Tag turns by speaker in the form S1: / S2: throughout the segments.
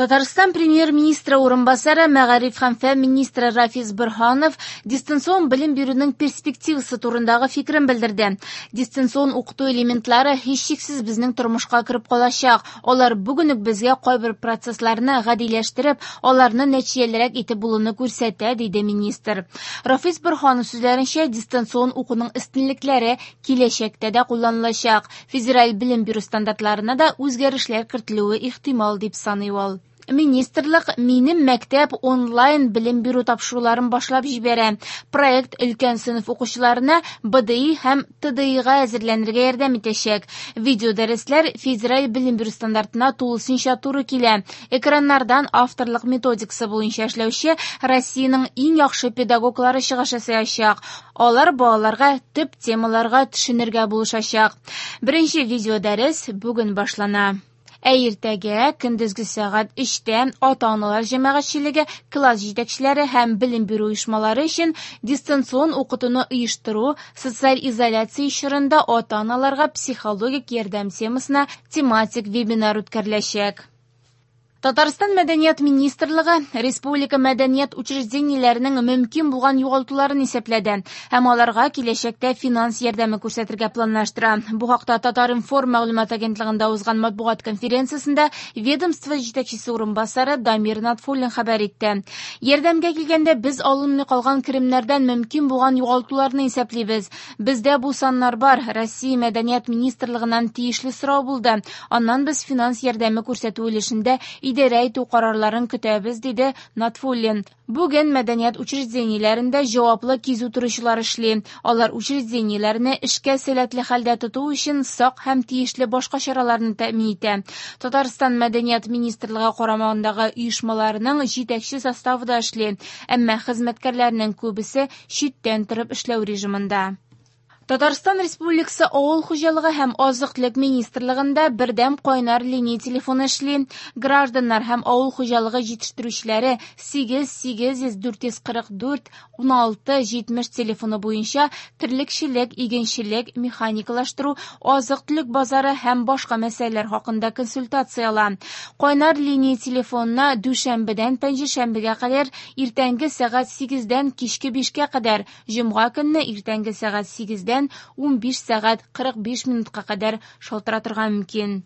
S1: Татарстан премьер-министры урынбасары, мәгариф һәм фән министры Рафис Борһанов дистанцион белем бирүнең перспективасы турындагы фикерен белдерде. Дистанцион укыту элементлары һичшиксез безнең тормышка кереп калачак. Алар бүген үк безгә кайбер процессларны гадиләштереп, аларны нәтиҗәлерәк итеп булуны күрсәтә, диде министр. Рафис Борһанов сүзләренчә, дистанцион укуның өстенлекләре киләчәктә дә кулланылачак. Федераль белем бирү стандартларына да үзгәрешләр кертелүе ихтимал, дип саный ул. Министрлык «Минем мәктәп» онлайн белем бирү тапшыруларын башлап җибәрә. Проект өлкән сыйныф укучыларына БДИ һәм ТДИга әзерләнергә ярдәм итәчәк. Видеодәресләр федераль белем бирү стандартына тулысынча туры килә. Экраннардан авторлык методикасы буенча эшләүче Россиянең иң яхшы педагоглары чыгыш ясаячак. Алар балаларга төп темаларга төшенергә булышачак. Беренче видеодәрес бүген башлана. Ә иртәгә көндезге сәгать 3тә ата-аналар җәмәгатьчелеге, класс җитәкчеләре һәм белем бирү оешмалары өчен дистанцион укытуны оештыру, социаль изоляция чорында ата-аналарга психологик ярдәм темасына тематик вебинар үткәреләчәк. Татарстан Мәдәният министрлыгы республика мәдәният учреждениеләренең мөмкин булган югалтуларын исәпләде һәм аларга киләчәктә финанс ярдәме күрсәтергә планлаштыра. Бу хакта Татар-информ мәгълүмат агентлыгында узган матбугат конференциясендә ведомство җитәкчесе урынбасары Дамир Натфуллин хәбәр итте. Ярдәмгә килгәндә без алынмый калган керемнәрдән мөмкин булган югалтуларны исәплибез. Бездә бу саннар бар. Россия Мәдәният министрлыгыннан тиешле сорау булды. Аннан без финанс ярдәме күрсәтү өлешендә идарә итү карарларын көтәбез, диде Натфуллин. Бүген мәдәният учреждениеләрендә җаваплы кизү торучылар эшли. Алар учреждениеләрне эшкә сәләтле хәлдә тоту өчен сак һәм тиешле башка чараларны тәэмин итә. Татарстан Мәдәният министрлыгы карамагындагы оешмаларның җитәкче составы да эшли, әмма хезмәткәрләрнең күбесе читтән торып эшләү режимында. Татарстан Республикасы Авыл хуҗалыгы һәм азык-төлек министрлыгында бердәм кайнар линия телефоны эшли. Гражданнар һәм авыл хуҗалыгы җитештерүчеләре 8 800 444 16 70 телефоны буенча терлекчелек, игенчелек, механикалаштыру, азык-төлек базары һәм башка мәсьәләләр хакында консультация ала. Кайнар линия телефонына дүшәмбедән пәнҗешәмбегә кадәр иртәнге сәгать 8-дән кичке 5-кә кадәр, җомга көнне иртәнге сәгать 8-дән 15 сәгать 45 минутка кадәр шалтыратырга мөмкин.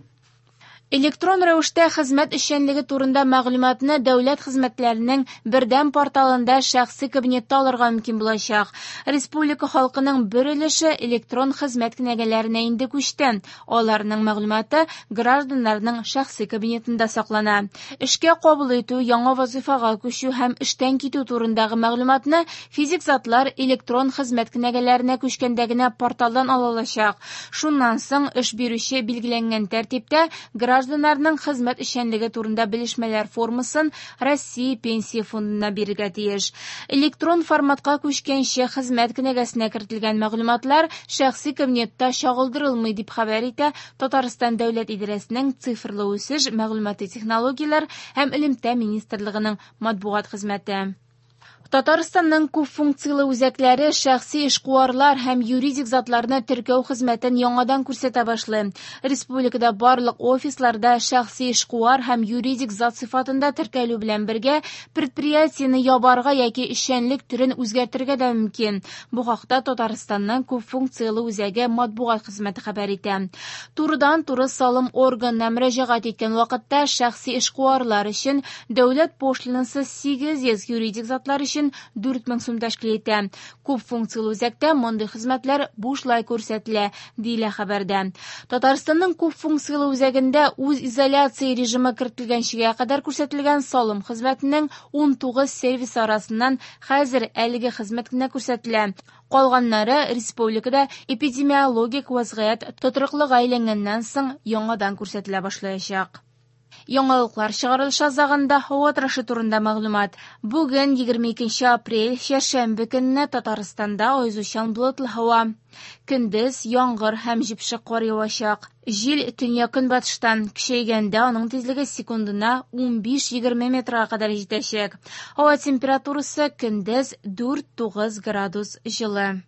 S1: Электрон рәвештә хезмәт эшчәнлеге турында мәгълүматны дәүләт хезмәтләренең бердәм порталында шәхси кабинетта алырга мөмкин булачак. Республика халкының бер өлеше электрон хезмәт кенәгәләренә инде күчте. Аларның мәгълүматы гражданнарның шәхси кабинетында саклана. Эшкә кабул итү, яңа вазыйфага күчү һәм эштән китү турындагы мәгълүматны физик затлар электрон хезмәт кенәгәләренә күчкәндә генә порталдан ала алачак. Шуннан соң эш бирүче билгеләнгән тәртиптә гражданнарның хезмәт эшчәнлеге турында белешмәләр формасын Россия Пенсия фондына бирергә тиеш. Электрон форматка күчкәнче хезмәт кенәгәсенә кертелгән мәгълүматлар шәхси кабинетта чагылдырылмый, дип хәбәр итә Татарстан дәүләт идарәсенең цифрлы үсеш, мәгълүмати технологияләр һәм элемтә министрлыгының матбугат хезмәте. Татарстанның күп функцияле үзәкләре шәхси эшкуарлар һәм юридик затларны теркәү хезмәтен яңадан күрсәтә башлый. Республикада барлык офисларда шәхси эшкуар һәм юридик зат сыйфатында теркәлү белән бергә предприятиене ябарга яки эшчәнлек төрен үзгәртергә дә мөмкин. Бу хакта Татарстанның күп функцияле үзәге матбугат хезмәте хәбәр итә. Турыдан-туры салым органына мөрәҗәгать иткән вакытта шәхси эшкуарлар өчен дәүләт пошлинасы 800, юридик затлар өчен 4000 сум тәшкил итә. Күп функцияле үзәктә мондый хезмәтләр бушлай күрсәтелә, диелә хәбәрдә. Татарстанның күп функцияле үзәгендә үз изоляция режимы кертелгәнчегә кадәр күрсәтелгән салым хезмәтенең 19 сервисы арасыннан хәзер әлеге хезмәт кенә күрсәтелә. Калганнары республикада эпидемиологик вазгыять тотрыклыга әйләнгәннән соң яңадан күрсәтелә башлаячак. Яңалыклар чыгарылыш азагында һава торышы турында мәгълүмат. Бүген 22 апрель, чәршәмбе көнне Татарстанда аязучан болытлы һава. Көндез яңгыр һәм җепшек кар явачак. Җил төньяк-көнбатыштан көчәйгәндә аның тизлеге секундына 15-20 метрга кадәр җитәчәк. Һава температурасы көндез 4-9 градус җылы.